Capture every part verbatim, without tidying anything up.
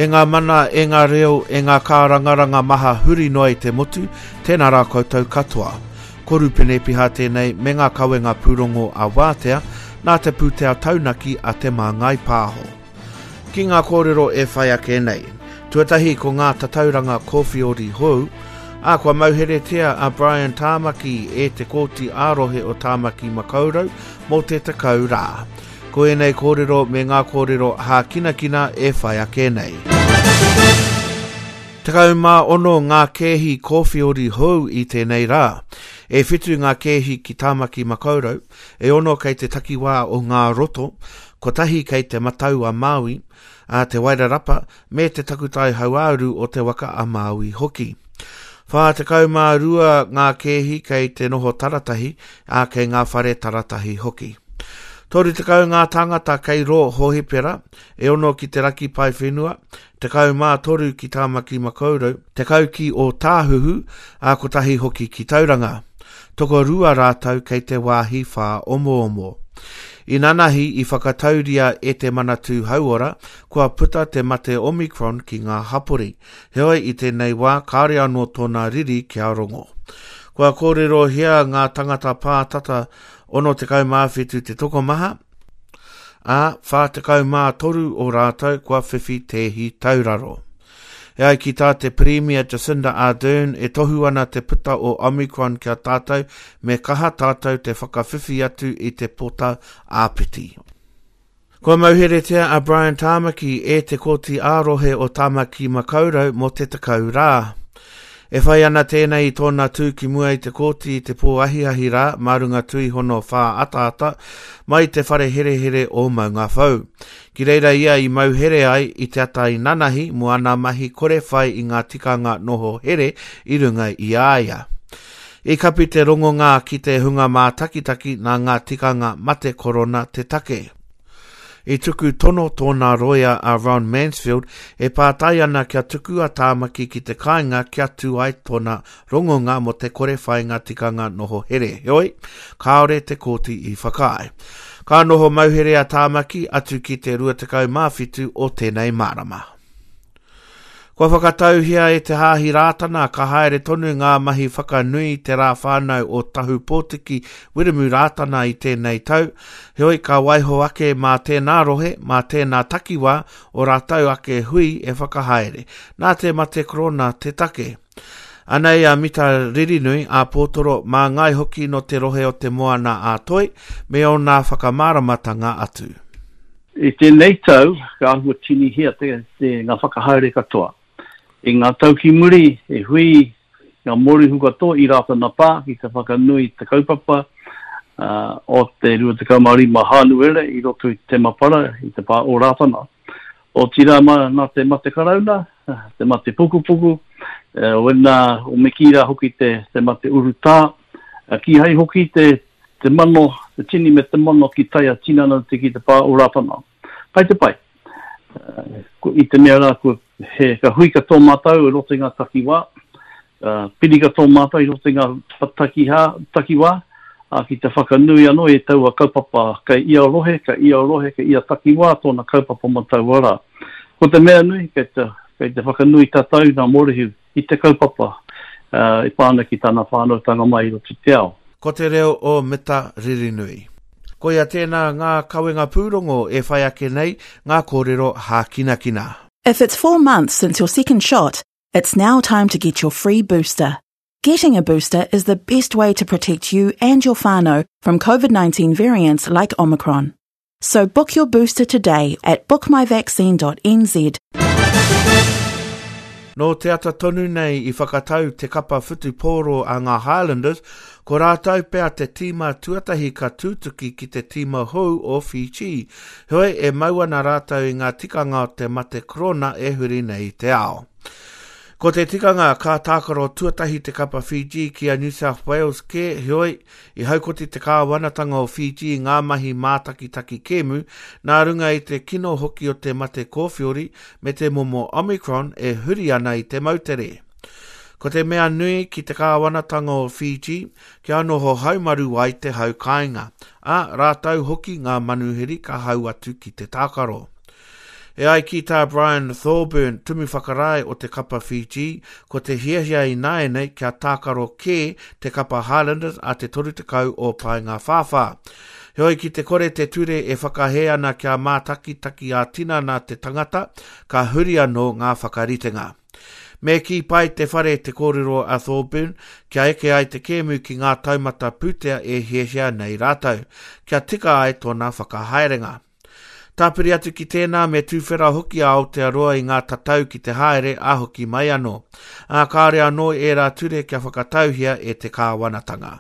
E ngā mana, e ngā reo, e ngā kārangaranga maha huri noa i te motu, tēnā rā koutou katoa. Ko Rupene Piha tēnei me ngā kawenga pūrongo a Wātea, nā te pūtea taunaki a Te Māngai Pāho. Ki ngā kōrero e whai ake nei. Tuatahi ko ngā tatauranga kōwhiori hou, ā kua mauheretia a Brian Tāmaki e te Kōti ā-rohe o Tāmaki Makaurau mō te tekau rā. Ko ēnei kōrero me ngā kōrero hākinakina e whai ake nei. Tekau mā ono ngā kēhi kōwhiori hou i tēnei rā. E whitu ngā kēhi ki Tāmaki Makaurau, e ono kei te takiwā o Ngā Roto, kotahi kei te Matau a Māui, a Te Wairarapa, me te takutai hauāuru o Te Waka a Māui hoki. Whā tekau mā rua ngā kēhi kei te noho taratahi, ā kei ngā whare taratahi hoki. Toru tekau ngā tāngata kei rō hōhipera, e ono ki te raki paewhenua, tekau mā toru ki Tāmaki Makaurau, tekau ki Ōtāhuhu, ā kotahi hoki ki Tauranga. Tokorua rātou kei te wāhi whāomoomo. Inanahi i whakatauria e te Manatū Hauora kua puta te mate Omicron ki ngā hapori, heoi i tēnei wā kāore anō tōna riri kia rongo. Kua kōrerohia ngā tangata pātata ono tekau mā whitu te tokomaha, ā, whā tekau mā toru o rātou kua whiwhi tēhi tauraro. E ai ki tā te Pirimia Jacinda Ardern e tohu ana te puta o Omicron kia tātou me kaha tātou te whakawhiwhi atu i te pota āpiti. Kua mauheretia a Brian Tāmaki e te Kōti ā-rohe o Tāmaki Makaurau mō te tekau rā. E whai ana tēnei i tōna tū ki mua i te kōti i te pō ahiahi rā mā runga tuihono whā ataata mai te whare herehere o Maungawhau. Ki reira ia i mauhere ai i te ata i nanahi mō ana mahi kore whai i ngā tikanga noho here i runga i a ia. I kapi te rongonga ki te hunga mātakitaki nā ngā tikanga mate korona te take. I tuku tono tōna roia a Ron Mansfield e pātai ana kia tuku a Tāmaki ki te kāinga kia tū ai tōna rongonga mō te kore whainga tikanga noho here. Heoi, kāore te kōti i whakaae. Ka noho mauhere a Tāmaki atu ki te rua tekau mā whitu o tēnei marama. Kua whakatauhia e te Hāhi Rātana ka haere tonu ngā mahi whakanui te rā whānau o Tahu Pōtiki Wiremu Rātana i tēnei tau, heoi ka waiho ake mā tēnā rohe, mā tēnā takiwā o rātou ake hui e whakahaere, nā te mate korona te take. Anei a Mita Ririnui, a Pōtoro, mā ngai hoki no te rohe o te Moana a Toi, me ōna whakamāramatanga atu. I tēnei tau, ka āhua tinihia te, te ngā whakahaere katoa. I ngā tau ki muri, e hui ngā mōrehu katoa i Rātana Pā ki te whakanui te kaupapa uh, o te rua tekau mā rima Hānuere i roto i te Temapara, i te pā o Rātana. O tira mā, nā te mate karauna, te mate pukupuku, uh, wena o Mekira hoki te, te mate urutā, uh, kīhai hoki te, te mano, te tini me te mano ki taia tinana te ki te pā o Rātana. Pai te pai. Uh, i te mea rā, kua, he, ka hui katoa mātou i roto i ngā takiwā, uh, piri katoa mātou i roto i ngā takiha, takiwā, uh, ki te whakanui anō i taua kaupapa kei ia rohe, kei ia rohe, kei ia takiwā tōna kaupapa mō taua rā. Ko te mea nui, kei te, kei te whakanui tātou ngā mōrehu i te kaupapa uh, i pāna ki tāna whānautanga mai i roto i te ao. Ko te reo o Mita Ririnui. Koia tēnā ngā kawenga pūrongo e whai ake nei ngā kōrero hākinakina. If it's four months since your second shot, it's now time to get your free booster. Getting a booster is the best way to protect you and your whānau from COVID nineteen variants like Omicron. So book your booster today at book my vaccine dot n z. Nō te ata tonu nei i whakatau te kapa whutupōro a ngā Highlanders, ko rātou pea te tīma tuatahi ka tūtuki ki te tīma hou o Fiji. Heoi e mau ana rātou i ngā tikanga o te mate korona e huri nei i te ao. Ko te tikanga ka tākaro tuatahi te kapa Fiji ki a New South Wales ke, heoi, i haukoti te kāwanatanga o Fiji i ngā mahi mātakitaki kēmu, nā runga i te kino hoki o te mate kōwhiori me te momo Omicron e huri ana i te moutere. Ko te mea nui ki te kāwanatanga o Fiji, kia noho haumaru ai te hau kāinga, ā rātou hoki ngā manuhiri ka hau atu ki te tākaro. E ai ki tā Brian Thorburn, tumu whakarae o te kapa Fiji, ko te hiahia i nāianei kia tākaro kē te kapa Highlanders a te toru tekau o Paengawhāwhā. Heoi ki te kore te ture e whakahē ana kia mātakitaki ā-tinana te tangata, ka huri anō ngā whakaritenga. Me kī pai te whare te kōrero a Thorburn, kia eke ai te kēmu ki ngā taumata pūtea e hiahia nei rātou, kia tika ai tōna whakahaerenga. Tāpiri atu ki tēnā me tūwhera hoki a Aotearoa i ngā tatau ki te haere a hoki mai anō. Ā, kāore anō ērā ture kia whakatauhia e te kāwanatanga.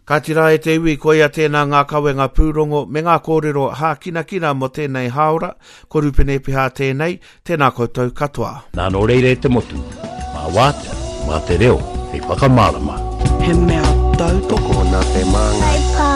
Kāti rā e te iwi, koia tēnā ngā kawenga pūrongo me ngā kōrero hākinakina mō tēnei hāora, ko Rupene Piha tēnei, tēnā koutou katoa. Nā nō reira e te motu, mā wātea, mā te reo, hei whakamārama. He mea tautoko Nā te māngai.